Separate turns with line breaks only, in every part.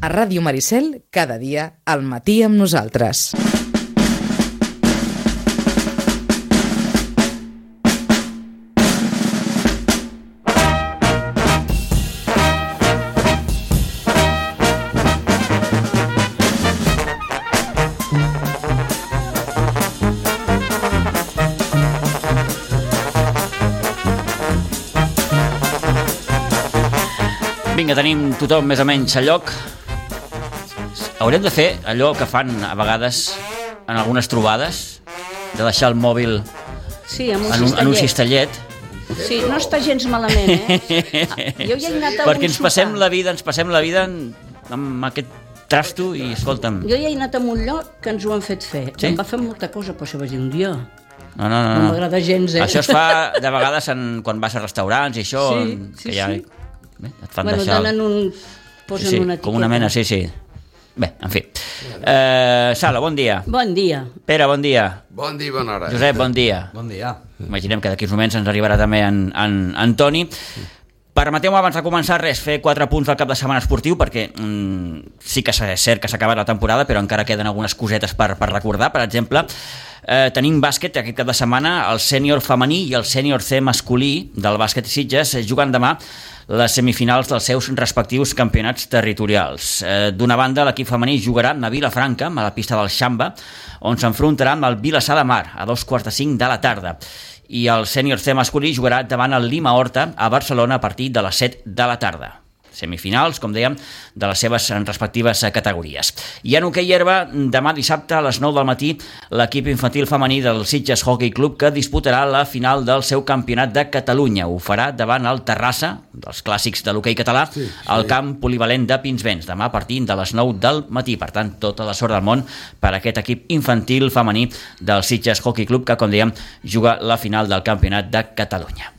A Ràdio Maricel, cada dia, al matí amb nosaltres.
Vinga, tenim tothom més o menys a lloc. Haurem de fer allò que fan a vegades en algunes trobades, de deixar el mòbil en un cistellet.
Sí, no està gens malament, Jo ja he anat a
perquè ens passem la vida amb aquest trasto i escolta'm.
Jo ja he anat a un lloc que ens ho han fet fer.
Sí?
Em va fer molta cosa, però això vaig dir un dia.
No.
No m'agrada gens,
Això es fa de vegades quan vas a restaurants i això, que ja... et fan deixar...
Posen una etiqueta.
Com una mena, sí. Bé, en fi. Sala, bon dia.
Bon dia.
Pere, bon dia.
Bon dia, bona hora.
Josep, bon dia.
Bon dia.
Imaginem que d'aquí uns moments ens arribarà també en Toni. Permeteu-me abans de començar fer 4 punts del cap de setmana esportiu, perquè sí que és cert que s'ha acabat la temporada, però encara queden algunes cosetes per recordar. Per exemple, tenim bàsquet aquest cap de setmana, el sènior femení i el sènior C masculí del bàsquet Sitges jugant demà les semifinals dels seus respectius campionats territorials. D'una banda, l'equip femení jugarà a Vilafranca, a la pista del Xamba, on s'enfrontarà amb el Vilassar de Mar a 2:45 de la tarda. I el sènior C masculí jugarà davant el Lima Horta a Barcelona a partir de les 7 de la tarda. Semifinals, com dèiem, de les seves respectives categories. I en hoquei herba, demà dissabte a les 9 del matí, l'equip infantil femení del Sitges Hockey Club que disputarà la final del seu campionat de Catalunya. Ho farà davant el Terrassa, dels clàssics de l'hoquei català, al camp polivalent de Pinsbens, demà a partir de les 9 del matí. Per tant, tota la sort del món per a aquest equip infantil femení del Sitges Hockey Club que, com dèiem, juga la final del campionat de Catalunya.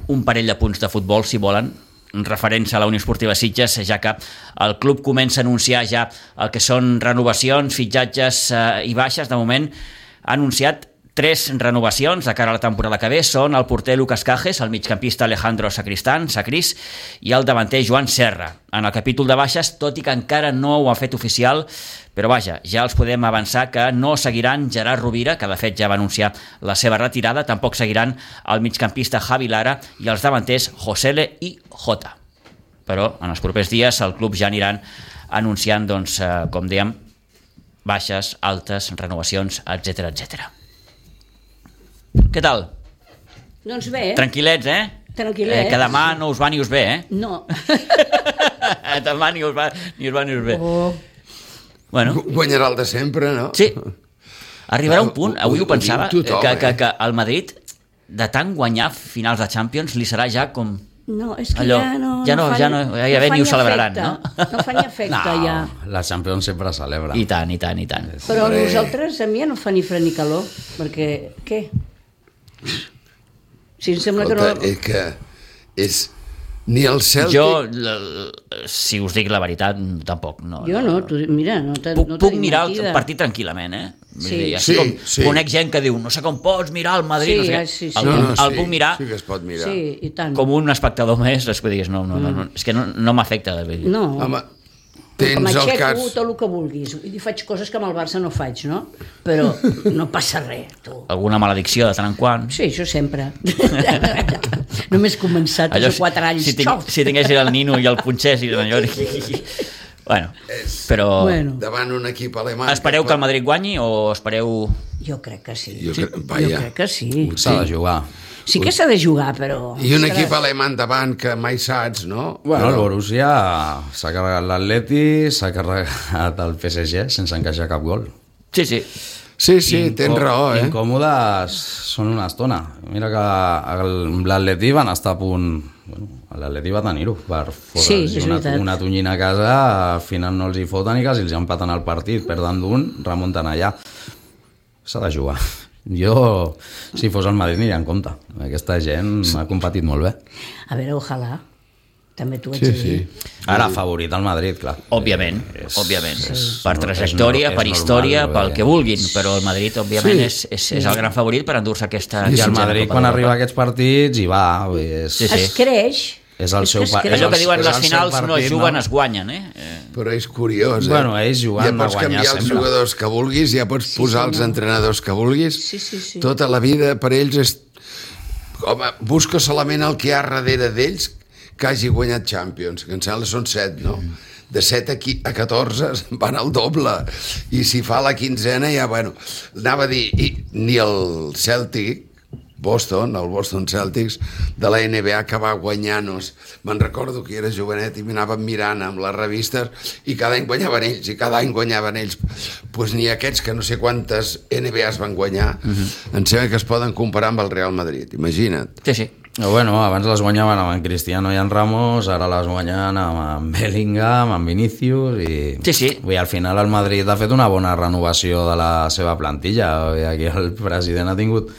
Un parell de punts de futbol, si volen, referents a la Unió Esportiva Sitges, ja que el club comença a anunciar ja el que són renovacions, fitxatges i baixes. De moment ha anunciat 3 renovacions de cara a la temporada que ve. Són el porter Lucas Cajes, el migcampista Alejandro Sacris i el davanter Joan Serra. En el capítol de baixes, tot i que encara no ho ha fet oficial, però vaja, ja els podem avançar que no seguiran Gerard Rovira, que de fet ja va anunciar la seva retirada, tampoc seguiran el migcampista Javi Lara i els davanters Josele i Jota. Però en els propers dies el club ja aniran anunciant, doncs, com dèiem, baixes, altes, renovacions, etc. Què tal?
Doncs bé.
Tranquil·lets,
Tranquil·lets.
Que demà no us va ni us ve,
No.
Demà ni us va ni us ve.
Oh.
Bueno.
Guanyarà el de sempre, no?
Sí. Arribarà un punt, avui ho pensava,
tothom,
que al Madrid, de tant guanyar finals de Champions, li serà ja com...
No, és que
allò,
ja
ni ho celebraran, no?
No fa ni efecte, ja.
La Champions sempre celebra.
I tant.
Però nosaltres, a mi ja no fa ni fred ni calor, perquè, què? Si em sembla que no...
És que és... Ni el Celtic...
Jo, si us dic la veritat, tampoc.
Jo no, mira, no t'he dit
puc mirar
mentida.
el partit tranquil·lament,
Sí.
Sí.
Conec gent que diu, no sé com pots mirar el Madrid,
Sí.
El puc mirar
Sí que es pot mirar.
Sí, i tant.
com un espectador més, és que digues, no, és que no m'afecta.
No.
Home,
Que
tens el
m'aixeco
cas...
tot el que vulguis. I faig coses que amb el Barça no faig, no? Però no passa res, tu.
Alguna maledicció de tant en quant.
Sí, això sempre. Només començat,
Allò,
els 4 anys.
si tingués el Nino i el Punxés i allò... Bueno, però...
Davant un equip alemany...
Espereu que el Madrid guanyi o espereu...
Jo crec que sí.
Jo
crec que sí.
S'ha de jugar.
Sí que s'ha de jugar, però...
I un equip alemany davant que mai saps, no?
Bueno, el Borussia s'ha carregat l'Atleti, s'ha carregat el PSG sense encaixar cap gol.
Sí.
Sí, tens raó,
Incòmodes són una estona. Mira que l'Atleti van estar a punt... Bueno, l'Atleti va tenir-ho per fotre's una tonyina a casa, al final no els hi foten i quasi els empaten el partit, perden d'un, remunten allà. S'ha de jugar. Jo, si fos el Madrid, aniria en compte. Aquesta gent ha competit molt bé.
A veure, ojalà. També t'ho haig de dir.
Ara, favorit al Madrid, clar.
Òbviament. Per trajectòria, per història, pel que vulguin, però el Madrid, òbviament, és el gran favorit per endur-se aquesta...
I el Madrid, quan arriba a aquests partits, hi va.
Es creix
És el seu
que
Allò que diuen
és
les
el seu
finals no es
partit,
juguen, es guanyen,
Però és curiós,
Bueno, ells jugant
ja pots
a guanyar
canviar els
sempre.
jugadors que vulguis, ja pots posar els entrenadors que vulguis.
Sí.
Tota la vida per ells és... Home, busca solament el que hi ha darrere d'ells que hagi guanyat Champions, que em sembla són 7, no? De 7 a 14 van al doble, i si fa la quinzena ja, bueno, anava a dir, ni el Celtic, el Boston Celtics de la NBA, que va guanyar-nos, me'n recordo que era jovenet i m'anàvem mirant amb les revistes i cada any guanyaven ells, pues ni aquests que no sé quantes NBAs van guanyar, em sembla que es poden comparar amb el Real Madrid, imagina't.
Sí.
Bueno, abans les guanyaven amb en Cristiano i en Ramos, ara les guanyen amb en Bellingham, amb Vinícius i...
Sí.
Vull dir, al final el Madrid ha fet una bona renovació de la seva plantilla. Vull dir, aquí el president ha tingut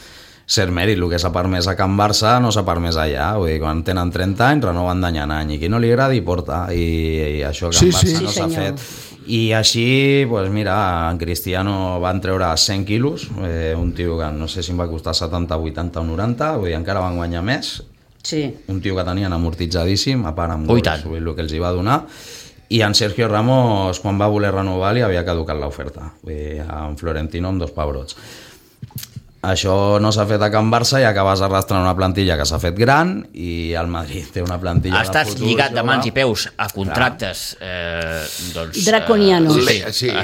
cert mèrit. El que s'ha permès a Can Barça no s'ha permès allà. Vull dir, quan tenen 30 anys renoven d'any en any, i qui no li agradi porta, i això a Can Barça no s'ha fet. I així, pues mira, en Cristiano van treure 100 quilos, un tio que no sé si em va costar 70, 80 o 90, vull dir, encara van guanyar més.
Sí.
Un tio que tenien amortitzadíssim, a part amb gols, vull dir, el que els hi va donar. I en Sergio Ramos, quan va voler renovar, li havia caducat l'oferta. Vull dir, en Florentino amb 2 pebrots. Això no s'ha fet a Can Barça i acabes arrastrant una plantilla que s'ha fet gran, i el Madrid té una plantilla de
Estàs
futur
lligat de
jove.
mans i peus a contractes doncs,
Draconianos.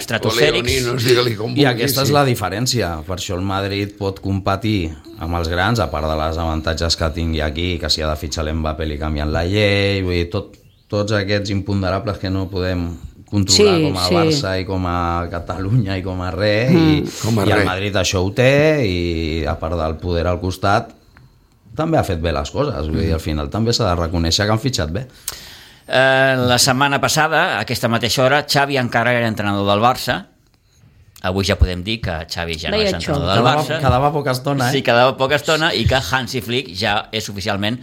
estratosfèrics.
I aquesta és la diferència. Per això el Madrid pot competir amb els grans, a part de les avantatges que tingui aquí, que si ha de fitxar l'Mbappé li canvien la llei, vull dir, tots aquests imponderables que no podem controlar com a Barça i com a Catalunya i com a res, i el Madrid això ho té, i a part del poder al costat també ha fet bé les coses. Vull dir, al final també s'ha de reconèixer que han fitxat bé.
La setmana passada, a aquesta mateixa hora, Xavi encara era entrenador del Barça. Avui ja podem dir que Xavi ja no és entrenador del Barça.
Quedava poca estona,
Sí, quedava poca estona, i que Hansi Flick ja és oficialment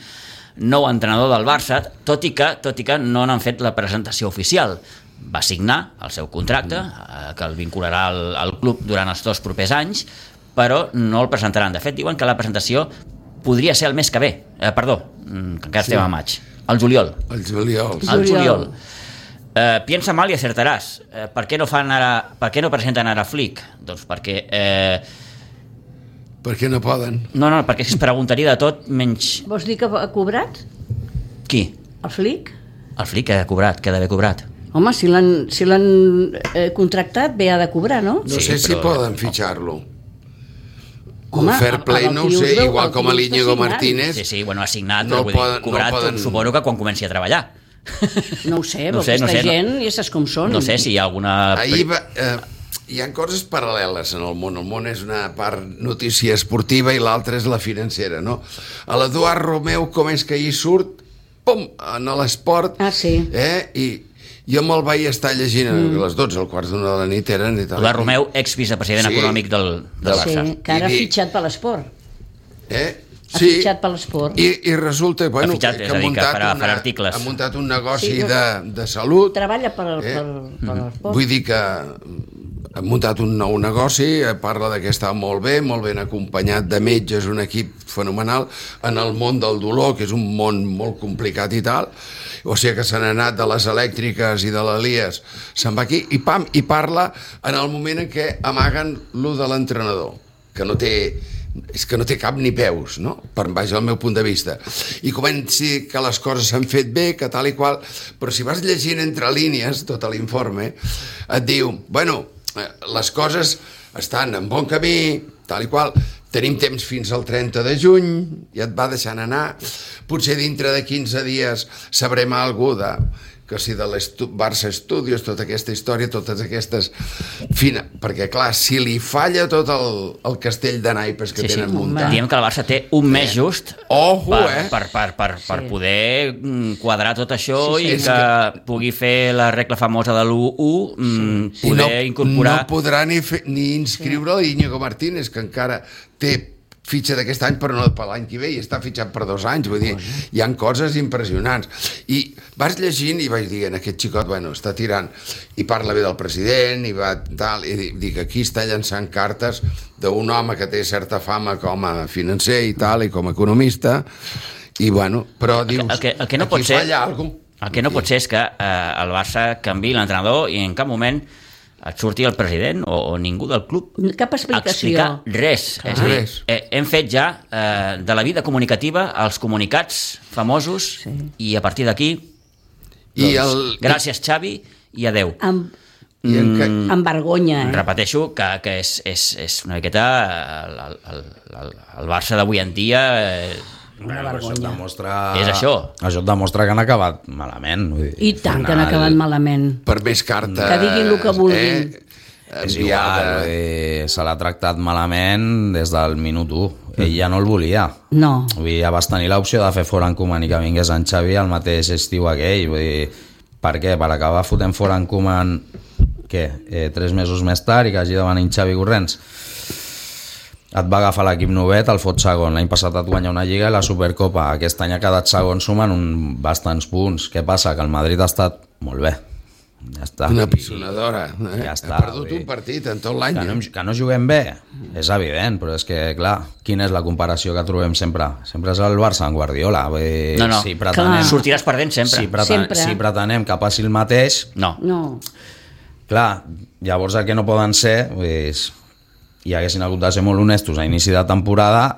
nou entrenador del Barça, tot i que no n'han fet la presentació oficial. Va signar el seu contracte, que el vincularà al club durant els 2 propers anys, però no el presentaran. De fet, diuen que la presentació podria ser el mes que ve. Perdó, que encara estem a maig. Al juliol.
El juliol.
Al juliol. Piensa mal i acertaràs. Per què no presenten ara Flick? Doncs perquè...
Perquè no poden.
No, perquè es preguntaria de tot menys...
Vols dir que ha cobrat?
Qui?
El Flick?
El Flick ha cobrat, que ha d'haver cobrat.
Home, si l'han contractat, bé ha de cobrar, no?
No sé si poden fitxar-lo.
Home,
Un fair play no ho sé, igual com a l'Íñigo Martínez.
Sí, bueno, ha signat,
no
però vull dir,
poden,
cobrat,
no poden...
suposo que quan comenci a treballar.
No ho sé, però aquesta gent ja saps com són.
No sé si hi ha alguna...
Hi ha coses paral·leles en el món. El món és una part notícia esportiva i l'altra és la financera, no? A l'Eduard Romeu, com és que hi surt, pum, en l'esport, i jo me'l vaig estar llegint a les 12, al quart d'una de la nit eren i tal.
Eduard Romeu, ex-vicepresident econòmic del Barça.
Sí, que ara ha fitxat per l'esport. Ha fitxat per l'esport.
I resulta que
ha
muntat un negoci de salut.
Treballa per l'esport.
Vull dir que ha muntat un nou negoci, parla que està molt ben acompanyat de metges, un equip fenomenal en el món del dolor, que és un món molt complicat i tal. O sigui que se n'ha anat de les elèctriques i de l'Elies, se'n va aquí i pam, i parla en el moment en què amaguen lo de l'entrenador, que no té cap ni peus, no? Per baix del meu punt de vista. I comenci que les coses s'han fet bé, que tal i qual, però si vas llegint entre línies tot l'informe, et diu, bueno, les coses estan en bon camí, tal i qual, tenim temps fins al 30 de juny, i et va deixant anar, potser dintre de 15 dies sabrem alguna cosa que si de Barça Studios, tota aquesta història, totes aquestes... Perquè, clar, si li falla tot el castell de naipes que tenen muntat...
Diem que el Barça té un mes just per poder quadrar tot això i que pugui fer la regla famosa de l'1-1, poder incorporar...
No podrà ni inscriure l'Íñigo Martínez, que encara té fitxa d'aquest any però no per l'any que ve, i està fitxat per 2 anys, vull dir, hi ha coses impressionants. I vas llegint i vaig dir, aquest xicot, bueno, està tirant, i parla bé del president, i va tal, i dic, aquí està llançant cartes d'un home que té certa fama com a financer i tal, i com a economista, I bueno, però dius,
el que no pot
aquí
ser,
falla alguna cosa.
El que no pot ser és que el Barça canviï l'entrenador i en cap moment et surti el president o ningú del club
Cap explicació.
explicar res. És a dir,
Res.
hem fet ja de la vida comunicativa els comunicats famosos i a partir d'aquí gràcies Xavi i adeu.
Amb vergonya,
Repeteixo que és una miqueta el Barça d'avui en dia
Això et demostra...
és això.
Això et demostra que han acabat malament. Vull dir,
I tant que han acabat malament.
Per més cartes...
Que diguin el que vulguin.
És igual, se l'ha tractat malament des del minut 1. Ell ja no el volia.
No.
Vull dir, ja vas tenir l'opció de fer fora en Koeman i que vingués en Xavi el mateix estiu aquell. Vull dir, per què? Per acabar fotent fora en Koeman, què? 3 mesos més tard i que hagi de venir en Xavi corrents. Et va agafar l'equip novet, el fot segon. L'any passat et guanya una Lliga i la Supercopa. Aquest any ha quedat segon sumant bastants punts. Què passa? Que el Madrid ha estat molt bé. Ja està.
Una pisonadora.
Ja està,
ha perdut un partit en tot l'any.
Que no juguem bé, és evident, però és que, clar, quina és la comparació que trobem sempre? Sempre és el Barça en Guardiola.
No.
Si pretenem,
sortiràs perdent sempre.
Si pretenem que passi el mateix...
No.
Clar, llavors el que no poden ser... i haguessin hagut de ser molt honestos a inici de temporada,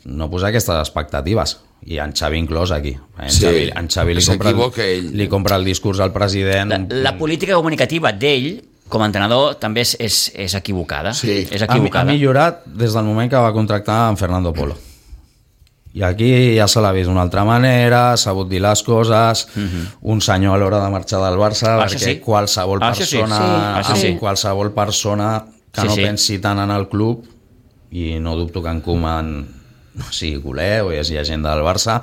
no posar aquestes expectatives, i en Xavi inclòs aquí. En Xavi li compra el discurs al president.
La política comunicativa d'ell com a entrenador també és equivocada.
Sí.
És equivocada.
Ha millorat des del moment que va contractar en Fernando Polo. I aquí ja se l'ha vist d'una altra manera, s'ha sabut dir les coses, un senyor a l'hora de marxar del Barça, perquè qualsevol persona que no pensi tant en el club, i no dubto que en Koeman no sigui culer o hi hagi gent del Barça,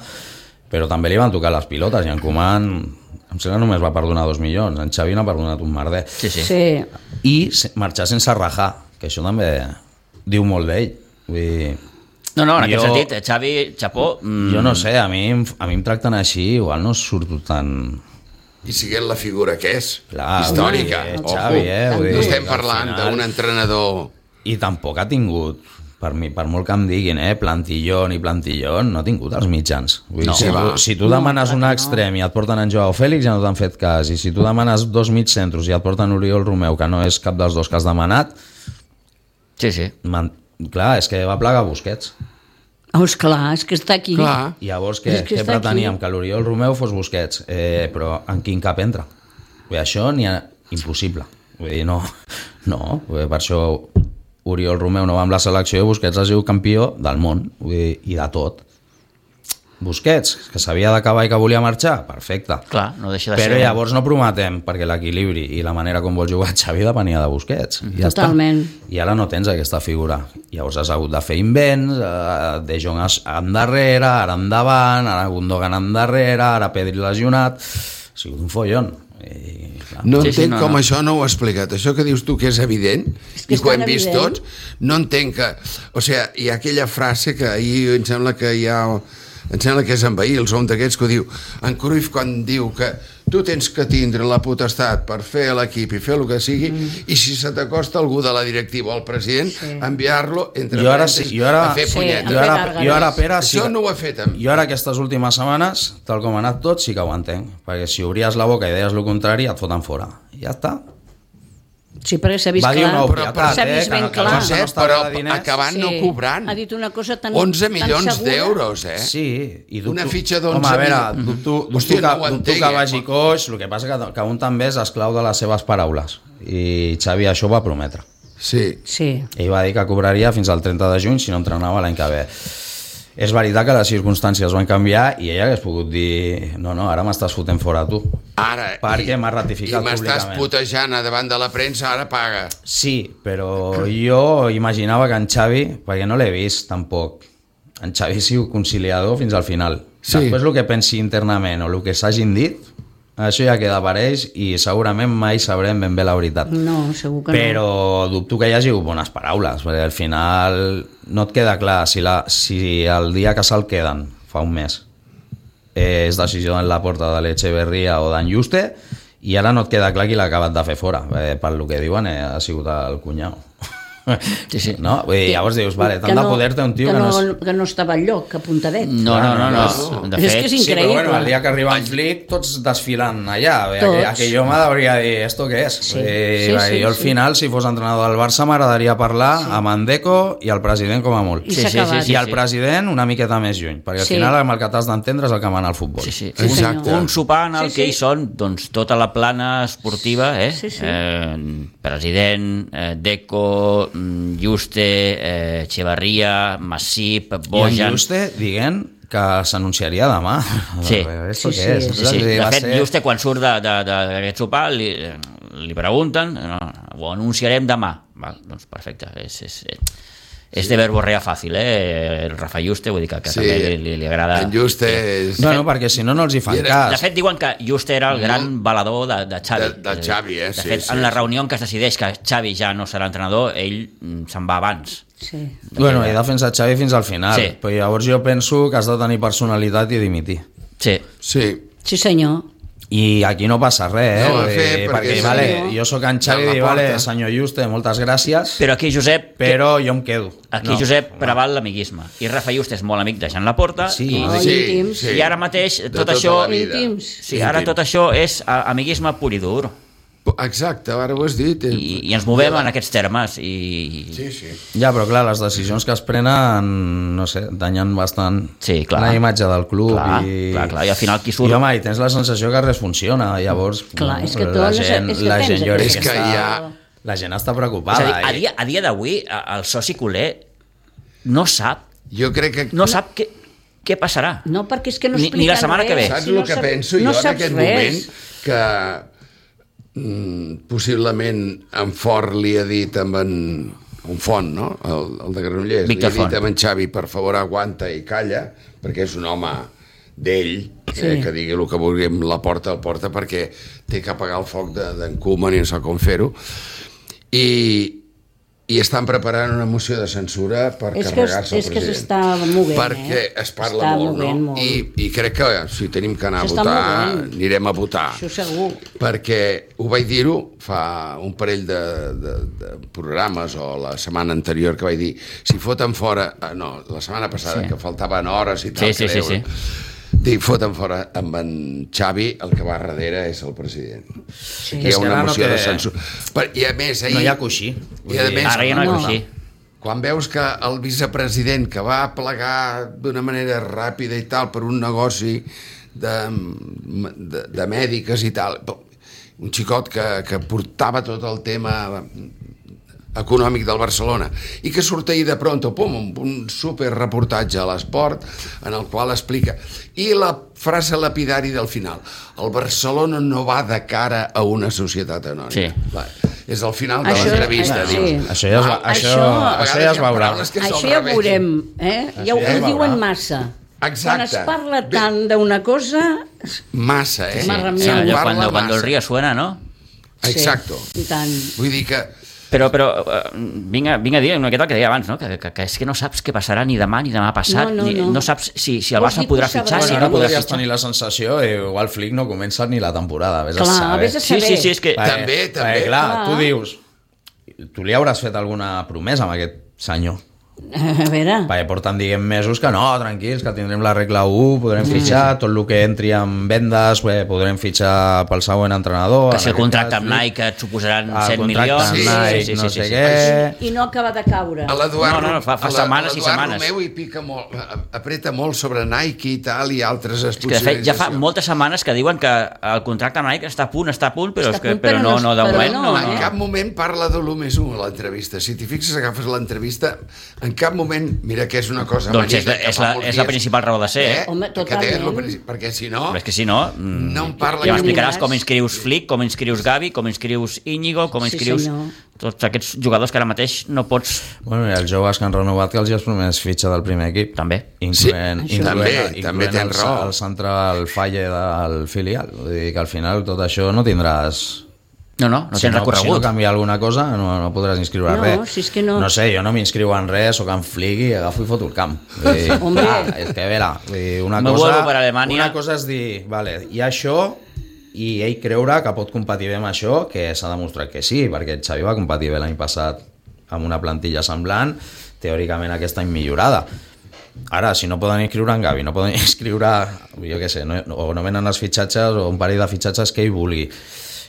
però també li van tocar les pilotes, i en Koeman em sembla només va perdonar 2 milions, en Xavi n'ha perdonat un merder.
Sí.
I marxar sense rajar, que això també diu molt d'ell.
No, en aquest sentit, Xavi, xapó...
Jo no sé, a mi em tracten així, igual no surto tan...
I siguent la figura que és,
clar,
històrica.
Xavi,
no estem parlant d'un entrenador...
I tampoc ha tingut, per molt que em diguin, plantillón, no ha tingut els mitjans. Si tu demanes un extrem i et porten en Joao Félix, ja no t'han fet cas. I si tu demanes 2 mitjans i et porten Oriol Romeu, que no és cap dels dos que has demanat...
Sí.
Clar, és que va plegar Busquets.
Clar, és que està aquí.
Clar.
Llavors, què preteníem? Que l'Oriol Romeu fos Busquets. Però en quin cap entra? Això n'hi ha impossible. Vull dir, no. Per això Oriol Romeu no va amb la selecció i Busquets ha sigut campió del món i de tot. Busquets, que s'havia d'acabar i que volia marxar, perfecte.
Clar, no deixa de ser...
Però llavors no prometem, perquè l'equilibri i la manera com vol jugar Xavi depenia de Busquets. Ja
totalment.
Està. I ara no tens aquesta figura. Llavors has hagut de fer invents, De Jong endarrere, ara endavant, ara Gundogan endarrere, ara Pedri lesionat... Ha sigut un follon.
No entenc com això no ho ha explicat. Això que dius tu que és evident i que ho hem vist tots, no entenc que... O sigui, hi ha aquella frase que ahir em sembla que és en Bahí, el som d'aquests que ho diu. En Cruyff quan diu que tu tens que tindre la potestat per fer l'equip i fer el que sigui, i si se t'acosta algú de la directiva o el president, enviar-lo entre parèntesis a fer punyetes.
Jo ara, Pere,
això no ho he fet amb...
Jo ara aquestes últimes setmanes, tal com ha anat tot, sí que ho entenc, perquè si obries la boca i deies el contrari, et foten fora. Ja està.
Sí, perquè s'ha vist
clar. Va dir una
obvietat, s'ha vist ben clar.
Però acabant no cobrant.
Ha dit una cosa tan
11 milions d'euros,
Sí, i dubto...
Una fitxa d'11 milions.
Home, a veure, dubto que vagi coix, el que passa que un també és esclau de les seves paraules. I Xavi això ho va prometre.
Sí.
Ell va dir que cobraria fins al 30 de juny si no entrenava l'any que ve. És veritat que les circumstàncies van canviar i ell hagués pogut dir no, ara m'estàs fotent fora tu.
Ara,
perquè m'ha ratificat públicament.
I m'estàs putejant davant de la premsa, ara paga.
Sí, però jo imaginava que en Xavi, perquè no l'he vist tampoc, en Xavi ha sigut conciliador fins al final. Després el que pensi internament o el que s'hagin dit, això ja queda per ells i segurament mai sabrem ben bé la veritat.
No, segur que no.
Però dubto que hi hagi bones paraules, perquè al final no et queda clar si el dia que se'l queden, fa un mes, és decisió de la porta de l'Echeverría o d'en Juste, i ara no et queda clar qui l'ha acabat de fer fora. Per lo que diuen ha sigut el cunyau.
Sí.
No? Vull dir, llavors dius, vale, tant de poder té un tio
que no estava enlloc, apuntadet.
No. De fet,
És que és
Sí, però
increïble.
bueno, el dia que arriba en Flick, tots desfilant allà.
Tots.
Aquell home hauria de dir, ¿esto qué és?
Sí.
Jo al final, si fos entrenador del Barça, m'agradaria parlar amb en Deco i el president com a molt.
I s'ha acabat.
I el president una miqueta més lluny, perquè al final amb el que t'has d'entendre és el que mana el futbol.
Sí.
Exacte.
Un sopar en el que hi són doncs, tota la plana esportiva,
Sí.
President, Deco, Juste, Echevarría, Masip,
I en
Bojan...
Juste dient que s'anunciaria demà.
Sí.
Esto
Sí,
què és?
Sí. De
Va
fet,
ser-
Juste, quan surt d'aquest sopar, li pregunten, ho anunciarem demà. Val, doncs perfecte, és de verborrea fàcil, el Rafa Juste, vull dir que també li agrada...
En Juste és...
Bueno, perquè si no, no els hi fan
I
cas.
De fet, diuen que Juste era el gran balador de Xavi.
De Xavi,
De
sí,
fet,
sí,
en la
sí.
reunió en què es decideix que Xavi ja no serà entrenador, ell se'n va abans.
Sí.
Bueno, he defensat Xavi fins al final,
Sí.
però llavors jo penso que has de tenir personalitat i dimitir.
Sí.
Sí.
Sí, senyor.
I aquí no passa res,
No ho ha fet, perquè
perquè
és
vale,
senyor.
jo sóc en Xavi
De la
i vale,
porta.
senyor Juste, moltes gràcies,
Però aquí Josep...
però jo em quedo.
Aquí Josep preval l'amiguisme. I Rafa Juste és molt amic de Jean Laporta.
Sí.
Oh, íntims.
I ara mateix
De
tot
tota
això...
la vida.
Íntims.
Sí, ara tot això és amiguisme pur i dur.
Exacte, ara ho has dit.
I ens movem en aquests termes. I...
Sí.
Ja, però clar, les decisions que es prenen, no sé, danyen bastant
Sí, clar.
la imatge del club.
Clar,
i...
clar, i al final qui surt...
I home, i tens la sensació que res funciona, llavors...
Clar, és que tu
la
no sé-
gent,
és que
la
tens
gent, jo
aquest-
crec
És que
està,
hi ha-
la gent està
És a
preocupada.
dir, a dia d'avui, el soci culer no sap
Jo crec que...
què passarà.
No, perquè és que no
Ni
expliquen
la setmana que ve.
res.
Saps
Si no
el que
sap-
penso
no
jo en
saps
aquest
res.
moment? Que possiblement en Fort li ha dit amb en Font, no? El de Granollers,
Víctor
li ha dit
Font.
amb en Xavi, per favor aguanta i calla, perquè és un home d'ell, que digui el que vulgui amb la porta al porta, perquè té que apagar el foc d'en Koeman i no sap com fer-ho. I estan preparant una moció de censura per carregar-se el
és que
president.
s'està movent,
perquè es parla molt, no? I crec que si tenim que anar a
S'està
votar,
movent.
anirem a votar.
Això segur.
Perquè ho vaig dir-ho fa un parell de programes o la setmana anterior que vaig dir, si foten fora, no, la setmana passada, que faltaven hores i tal,
Sí.
Dic, foten fora amb en Xavi, el que va darrere és el president.
Sí.
Hi ha una
ara no
moció
té-
de censura. I a més, ahir...
No hi ha coixí.
I a més,
Ara ja no hi ha coixí.
quan veus que el vicepresident que va plegar d'una manera ràpida i tal per un negoci de mèdiques i tal, un xicot que portava tot el tema econòmic del Barcelona i que surt ahir de pronto, un superreportatge a l'Esport en el qual explica, i la frase lapidari del final, el Barcelona no va de cara a una societat anònima.
Sí.
Va, és el final de
Això-
l'entrevista,
sí.
dius.
Això ja es,
Això-
això ja es veurà.
Això ja ho veurem,
Això
ja ho
ja es
diuen
veurà.
massa.
Exacte.
Quan es parla tant d'una cosa...
Massa,
Sí.
Se'n
Allò
parla
Cuando el
massa.
río suena, ¿no?
Exacto.
Sí, i tant.
Vull dir que
Però vinc a dir una miqueta el que deia abans, no? Que és que no saps què passarà ni demà ni demà passat,
No.
no saps si el
Vols
Barça
dir que
podrà
ho
fitxar,
sabràs?
si
Bueno,
no
ara
podrà
podries
fitxar.
tenir la sensació igual Flick no comença ni la temporada, vés a
Clar,
saber.
vés a saber.
Sí, és que...
També.
Clar,
Clar.
tu dius, tu li hauràs fet alguna promesa amb aquest senyor.
A veure...
Perquè porten dient mesos que no, tranquils, que tindrem la regla 1, podrem fitxar, tot el que entri en vendes, podrem fitxar pel següent entrenador.
Que si el
en aquest
contracte
cas,
amb Nike et suposaran
el
100
contracte
milions...
amb Nike, no sé
sí.
què...
I no acaba de caure.
a l'Eduard
No, fa setmanes i setmanes.
Romeu hi pica molt, apreta molt sobre Nike i tal, i altres
És que de fet ja fa
esponsoritzacions.
moltes setmanes que diuen que el contracte amb Nike està a punt, però,
Està a punt,
però no, de
però
moment
no,
no.
En cap moment parla de l'1+1 a l'entrevista. Si t'hi fixes, agafes l'entrevista, en cap moment, mira que és una cosa
Doncs és
amanida, que fa molts
és la
dies.
principal raó de ser.
Home,
Que té,
totalment.
perquè si no...
Però és que si no,
No em parla
ja
ni
m'explicaràs
diràs.
com inscrius Flick, com inscrius Gavi, com inscrius Íñigo, com
Sí,
inscrius
senyor.
tots aquests jugadors que ara mateix no pots...
Bueno, i els joves que han renovat que els hi has promès fitxa del primer equip.
També.
Incloent,
Sí,
incloent,
també
incloent
tens raó.
el central falle del filial. Vull dir que al final tot això no tindràs...
No
si
tens
no
recorregut.
canvia alguna cosa, no podràs inscriure
No,
res.
si és que no.
No sé, jo no m'inscriu en res, sóc en Flick i agafo i foto el camp. Vull dir,
Hombre.
és que, a veure, vull dir,
Me vuelvo per Alemanya.
una cosa és dir, vale, hi ha això, i ell creure que pot competir bé amb això, que s'ha demostrat que sí, perquè Xavi va competir bé l'any passat amb una plantilla semblant, teòricament aquest any millorada. Ara, si no poden inscriure en Gavi, no poden inscriure, jo què sé, o no venen els fitxatges o un parell de fitxatges que ell vulgui.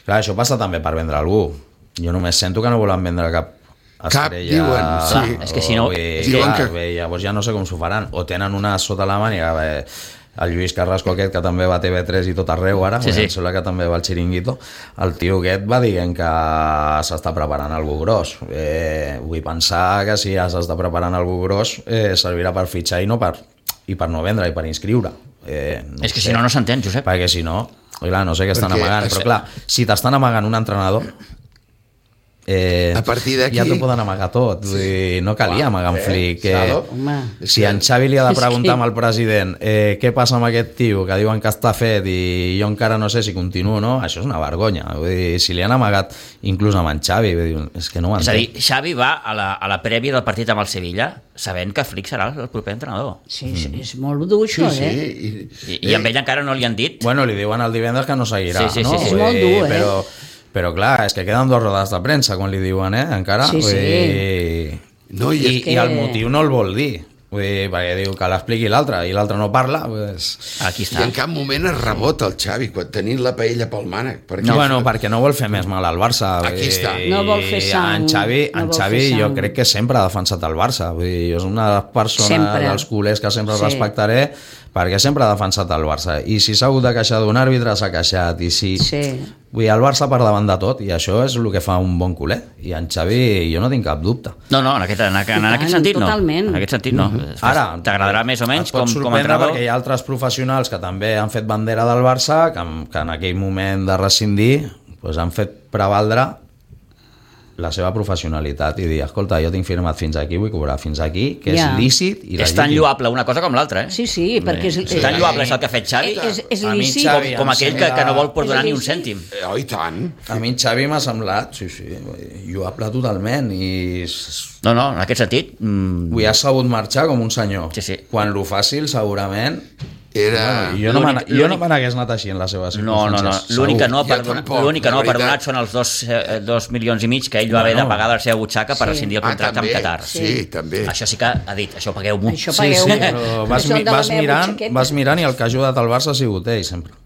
Clar, això passa també per vendre algú. Jo només sento que no volen vendre cap estrella.
Diuen, sí.
És que si no...
Llavors ja no sé com s'ho faran. O tenen una sota la màniga, el Lluís Carrasco aquest, que també va a TV3 i tot arreu ara, em sembla que també va al Chiringuito, el tio aquest va dient que s'està preparant algú gros. Vull pensar que si ja s'està preparant algú gros servirà per fitxar i per no vendre i per inscriure.
És que si no s'entén, Josep.
Perquè si no, clar, no sé què estan amagant, però clar, si t'estan amagant un entrenador,
a partir d'aquí
ja t'ho poden amagar tot, no calia amagar un flic. Si en Xavi li ha de preguntar al president què passa amb aquest tio que diuen que està fet i jo encara no sé si continuo o no, això és una vergonya. Vull dir, si li han amagat inclús amb en Xavi, és que no ho entenc.
És a dir, Xavi va a la prèvia del partit amb el Sevilla sabent que Flick serà el proper entrenador.
Sí, és molt dur això,
I amb ell encara no li han dit.
Bueno, li diuen el divendres que no seguirà,
no? És molt dur,
Però clar, és que queden 2 rodes de premsa quan li diuen, encara.
No,
I el motiu no el vol dir. Perquè diu que l'expliqui l'altre i l'altre no parla,
aquí està.
I en cap moment es rebota el Xavi quan tenint la paella pel mànec.
Perquè no vol fer més mal al Barça.
Aquí està.
No vol fer sang.
En Xavi jo crec que sempre ha defensat el Barça. Jo és una de les persones dels culers que sempre respectaré, perquè sempre ha defensat el Barça. I si s'ha hagut de queixar d'un àrbitre, s'ha queixat. I si... el Barça per davant de tot, i això és el que fa un bon culer. I en Xavi jo no tinc cap dubte.
No, en aquest sentit no.
Totalment.
En aquest sentit no. Ara, t'agradarà més o menys com a entrenador?
Perquè hi ha altres professionals que també han fet bandera del Barça, que en aquell moment de rescindir han fet prevaldre la seva professionalitat i dir, escolta, jo tinc firmat fins aquí, vull cobrar fins aquí, que és lícit i legítim.
És tan lloable una cosa com l'altra,
Sí, perquè
és tan lloable és el que ha fet Xavi,
és lícit.
Com aquell que no vol perdonar ni un cèntim.
I tant.
A mi en Xavi m'ha semblat, lloable totalment i...
No, en aquest sentit...
Ha sabut marxar com un senyor. Quan lo fàcil, segurament... Jo no me n'hagués anat així en les seves circumstàncies.
L'únic que no ha perdonat són els 2 milions i mig que ell va haver de pagar de la seva butxaca per rescindir el contracte amb Qatar.
Sí, també.
Això sí que ha dit, això pagueu-m'ho.
Però vas mirant i el que ha ajudat al Barça ha sigut ell sempre.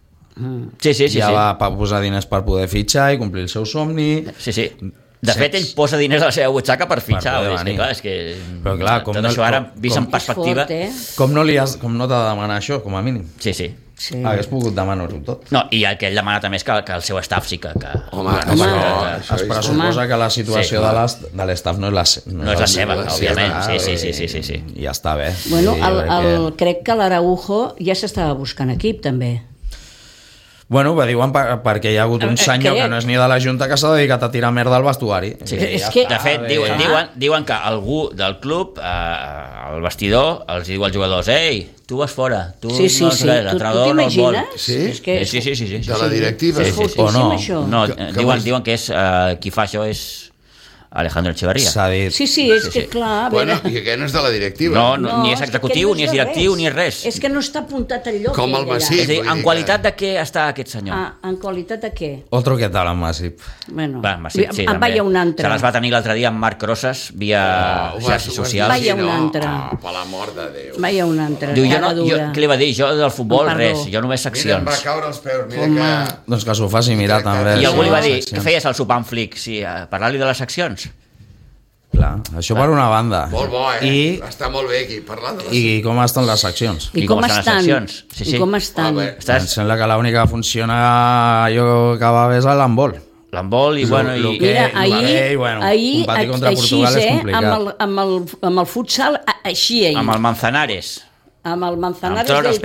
Ja va posar diners per poder fitxar i complir el seu somni.
De fet, ell posa diners a la seva butxaca per fitxar.
Però clar,
tot això ara, vist en perspectiva...
Com no t'ha de demanar això, com a mínim?
Sí.
Hagués pogut demanar-ho tot.
No, i el que ell demana també és que el seu staff sí que...
Home, es pressuposa que la situació de l'staff no és la seva,
òbviament. Sí.
Ja està bé.
Bueno, crec que l'Araujo ja s'estava buscant equip, també.
Bueno, diuen perquè hi ha hagut un senyor que no és ni de la Junta que s'ha dedicat a tirar merda al vestuari.
De fet, diuen que algú del club, al vestidor, els diu als jugadors: ei, tu vas fora, tu l'entrenador no et vol.
Sí?
Sí.
De la directiva?
O no?
No, diuen que qui fa això és Alejandro Echeverría.
Sí, és que clar...
Bueno, i aquest no és de la directiva.
No, ni és executiu, ni és directiu, ni és res.
És que no està apuntat al lloc.
Com el Masip.
És a dir, en qualitat de què està aquest senyor?
En qualitat de què?
Otro que tal, en Masip.
Bueno,
Masip, sí, també.
Vaya un altre.
Se les va tenir l'altre dia amb Marc Rosas, via xarxes socials.
Vaya un altre.
Per l'amor de Déu.
Vaya un altre.
Diu, què li va dir? Jo del futbol, res, jo només seccions.
Mira, em va caure els peus, mira que...
Doncs que s'ho faci mirar també.
I algú li va dir, què feies al sopar amb Flick? Sí, parlar-li de les seccions.
Clar, això per una banda.
Molt bo, està molt bé aquí, parlant de les...
I com estan les seccions?
I com estan les seccions?
I com
estan?
Em sembla que l'única que funciona jo que va bé és l'handbol.
L'handbol i bueno...
Mira, ahir,
un partit contra Portugal és complicat.
Amb el futsal, així ahir.
Amb el Manzanares.
Amb el Manzanares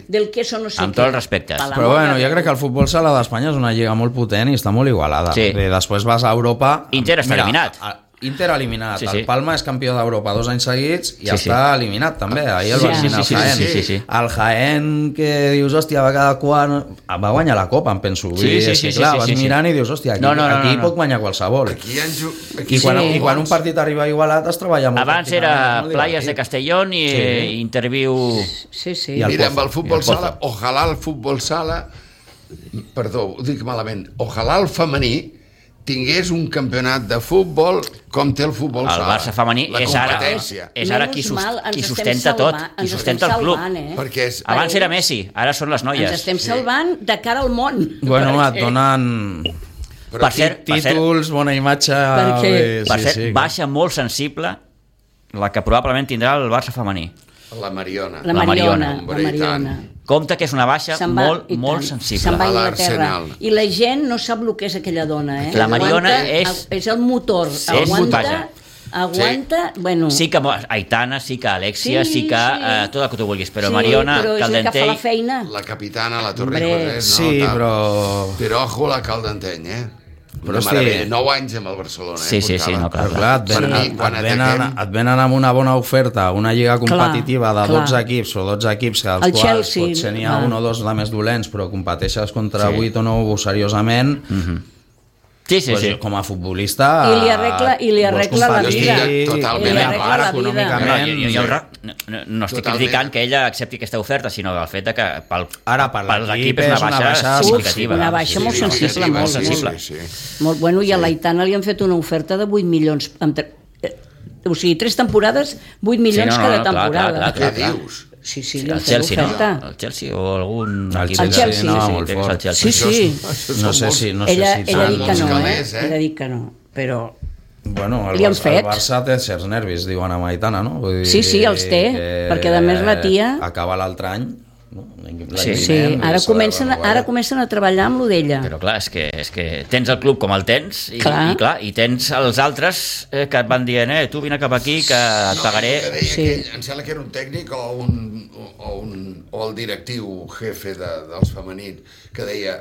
del queso no sé què.
Amb tots els respectes.
Però bueno, jo crec que el futbol sala d'Espanya és una lliga molt potent i està molt igualada. Després vas a Europa...
Inter està eliminat.
Inter eliminat, el Palma és campió d'Europa 2 anys seguits i està eliminat també, ahir el va eliminar el Jaén. El Jaén que dius, hòstia, va cada quart, va guanyar la Copa, em penso. Vas mirant i dius, hòstia, aquí pot guanyar qualsevol. I quan un partit arriba igualat es treballa molt.
Abans era Playas de Castellón i Interviu...
Mira, amb el futbol sala, ojalà el futbol sala, perdó, ho dic malament, ojalà el femení tingués un campionat de futbol com té el futbol
El
sala.
Barça femení
La
és ara qui sustenta tot, qui sustenta el club.
Perquè
Abans era Messi, ara són les noies.
Ens estem salvant de cara al món.
Bueno, et donen
Per cert,
títols, bona imatge...
per cert, baixa molt sensible la que probablement tindrà el Barça femení.
la Mariona.
La Mariona.
Compte que és una baixa molt sensible.
Se'n va a Inglaterra.
l'Arsenal.
I la gent no sap el que és aquella dona, eh?
La Mariona
és el motor. Aguanta, bueno...
Sí que Aitana, sí que Alexia, sí que tot el que tu vulguis, però Mariona,
però és el que fa la feina.
La capitana, la Torrijos,
sí, però...
Però ojo la Caldenteny,
Però
una meravella. 9 anys amb el Barcelona.
Sí, no,
clar. Et venen amb una bona oferta, una lliga competitiva de 12 equips o 12 equips, dels quals potser n'hi ha un o dos de més dolents, però competeixes contra 8 o 9 seriosament.
Sí.
Com a futbolista...
I li arregla la vida.
Totalment
econòmicament.
No estic criticant que ella accepti aquesta oferta, sinó el fet que per
l'equip
és una baixa significativa.
Una baixa molt sensible, molt sensible. Molt bueno, i a l'Aitana li han fet una oferta de 8 milions. O sigui, 3 temporades, 8 milions cada temporada.
Què dius?
Sí, li han fet l'oferta.
El Chelsea o algun equip.
El Chelsea,
no, molt fort.
Sí.
No sé si
Ella ha dit que no,
Ella
ha dit que no, però...
Bueno, el Barça té certs nervis, diuen a Aitana, no? Vull dir,
sí, els té, perquè a més la tia...
Acaba l'altre any, no?
Sí, ara comencen a treballar amb lo d'ella.
Però clar, és que tens el club com el tens i tens els altres que et van dient tu vine cap aquí que et pagaré.
Em sembla que era un tècnic o el directiu jefe dels femenins que deia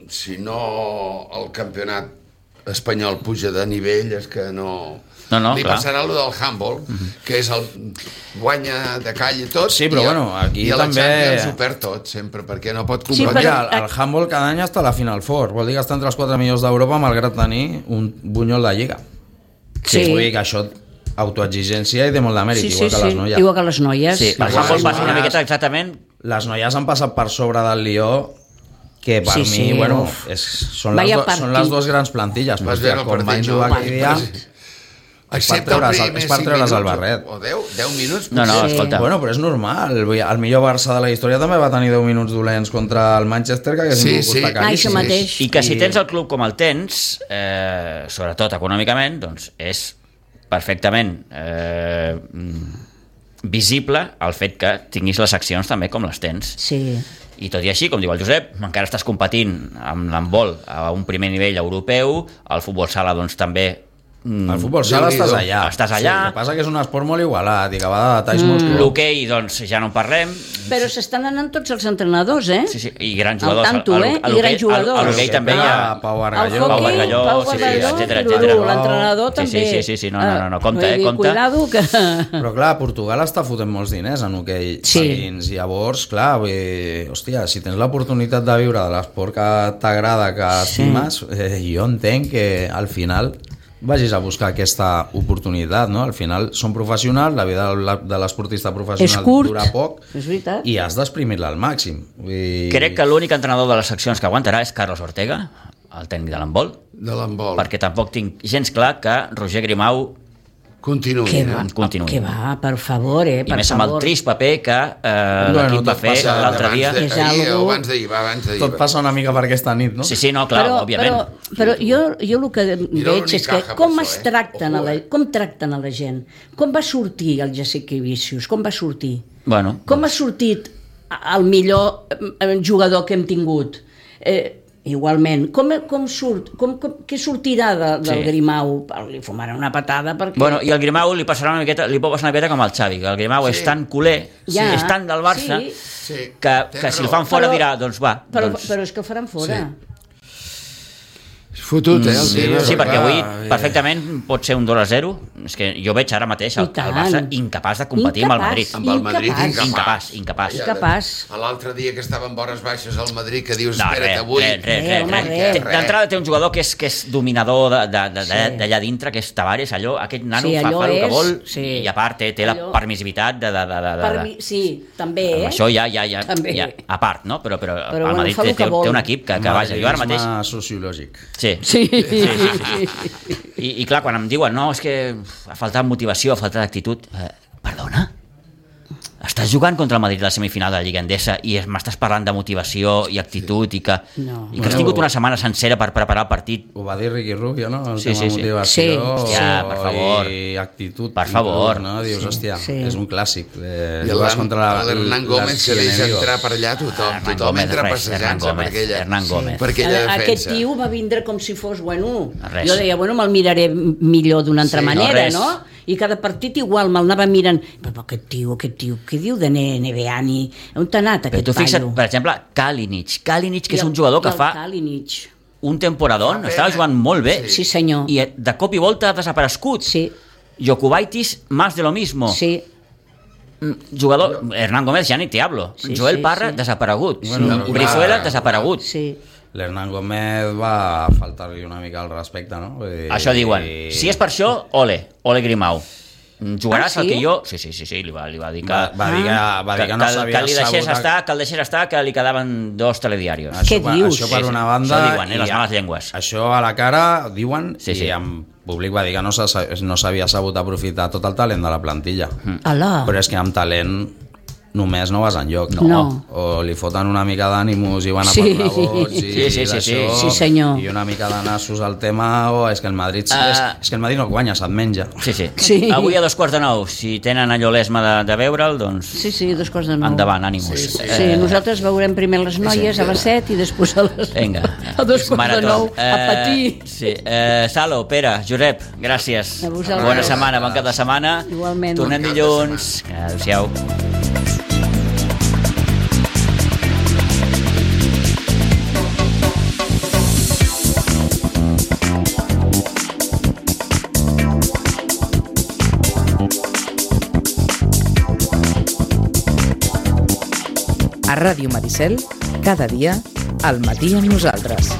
si no el campionat espanyol puja de nivell és que no... li passarà allò del handball, que és el guanya de call i tot,
sí, però bueno, aquí
i a la
també...
Champions ho perd tot sempre, perquè no pot competir.
Sí, però... El handball cada any està a la Final Four, vol dir que està entre els 4 millors d'Europa malgrat tenir un bunyol de lliga. Sí. Vull dir que això autoexigència i té molt de mèrit, igual que les noies.
Igual que les noies.
Sí, el handball passa una miqueta exactament...
Les noies han passat per sobre del Lió, que per mi, bueno, són les dues grans plantilles, perquè com van jugar aquell dia... És per treure's el barret.
O 10 minuts?
No, escolta.
Bueno, però és normal. El millor Barça de la història també va tenir 10 minuts dolents contra el Manchester, que hagués costat caríssim.
I que si tens el club com el tens, sobretot econòmicament, doncs és perfectament visible el fet que tinguis les accions també com les tens.
Sí.
I tot i així, com diu el Josep, encara estàs competint amb l'handbol a un primer nivell europeu, el futbol sala doncs també...
El futbol sala estàs allà.
Sí, el
que passa que és un esport molt igualat i que va de detalls molt clars.
L'hoquei, doncs, ja no en parlem.
Però s'estan anant tots els entrenadors,
Sí, i grans jugadors.
Al tanto, I grans jugadors.
A l'hoquei també hi ha...
Pau Bargalló.
Pau Bargalló,
etcètera.
L'entrenador també.
Sí, no, compte,
Cuidado que...
Però clar, Portugal està fotent molts diners en hoquei. I llavors, clar, hòstia, si tens l'oportunitat de viure de l'esport que t'agrada, que estimes, jo entenc que al final... vagis a buscar aquesta oportunitat, no? Al final són professionals, la vida de l'esportista professional dura poc i has d'exprimir-la al màxim.
Crec que l'únic entrenador de les seccions que aguantarà és Carlos Ortega, el tècnic de l'handbol, perquè tampoc tinc gens clar que Roger Grimau
continuï.
Que va, per favor,
I més amb el trist paper que l'equip va fer l'altre dia.
Abans d'ahir.
Tot passa una mica per aquesta nit, no?
Sí, no, clar, òbviament.
Però jo el que veig és que com tracten a la gent. Com va sortir el Jasikevičius? Com va sortir? Com ha sortit el millor jugador que hem tingut? Igualment, què sortirà del Grimau? Li fumarà una patada perquè...
I el Grimau li pot passar una miqueta com el Xavi, que el Grimau és tan culer, és tan del Barça, que si el fan fora dirà, doncs va.
Però és que el faran fora.
Fotut, el tio.
Sí, perquè avui perfectament pot ser un 2-0. És que jo veig ara mateix el Barça incapaç de competir amb el Madrid.
Amb el Madrid
incapaç.
L'altre dia que estava en vores baixes al Madrid, que dius, espera't, avui...
D'entrada té un jugador que és dominador d'allà dintre, que és Tavares, aquest nano fa el que vol, i a part té la permissivitat de...
Sí, també,
això ja a part, no? Però el Madrid té un equip que vaja, jo ara mateix...
sociològic.
Sí. I clar, quan em diuen, no, és que ha faltat motivació, ha faltat actitud, perdona? Estàs jugant contra el Madrid a la semifinal de la Lliga Endesa i m'estàs parlant de motivació i actitud i que has tingut una setmana sencera per preparar el partit.
Ho va dir Ricky Rubio, no? El
tema
motivació
per favor.
I actitud.
Per favor.
No? Dius, hòstia, és un clàssic.
I l'Hernán Gómez que deixa entrar per allà tothom entra passejant-se per aquella defensa.
Aquest tio va vindre com si fos, jo deia, me'l miraré millor d'una altra manera, no? I cada partit igual me'l anava mirant, però aquest tio, què diu de NBA ni... On t'ha anat aquest paio?
Però tu fixa't, per exemple, Kalinic, que és un jugador que fa un temporadón, estava jugant molt bé.
Sí, senyor.
I de cop i volta ha desaparegut.
Sí.
Jokubaitis, más de lo mismo.
Sí.
Jugador, Hernán Gómez, ja ni te hablo. Joel Parra, desaparegut. Brizuela, desaparegut.
Sí.
L'Hernán Gómez va faltar-li una mica al respecte, no?
Això diuen. Si és per això, ole Grimau. Jugaràs el que jo... Sí, li va dir que...
Va dir que no s'havia
assegut... Que el deixés estar, que li quedaven 2 telediarios.
Què dius?
Això per una banda...
Això diuen, les males llengües.
Això a la cara, diuen, i en públic va dir que no s'havia sabut aprofitar tot el talent de la plantilla. Però és que amb talent... només no vas enlloc. O li foten una mica d'ànimus i van a per vots i d'això,
sí, senyor.
i una mica de nassos al tema, o és que el Madrid és que el Madrid no guanya, se't menja.
Sí. Avui a 8:45, si tenen allò l'esma de veure'l, doncs...
Sí, 8:45.
Endavant, ànimus.
Sí, nosaltres veurem primer les noies a les 7 i després a les...
Vinga.
A 8:45, a patir.
Sí. Salo, Pere, Josep, gràcies. Bona setmana, bon cap de setmana.
Igualment.
Tornem dilluns. Adéu-siau.
A Ràdio Maricel, cada dia, al matí amb nosaltres.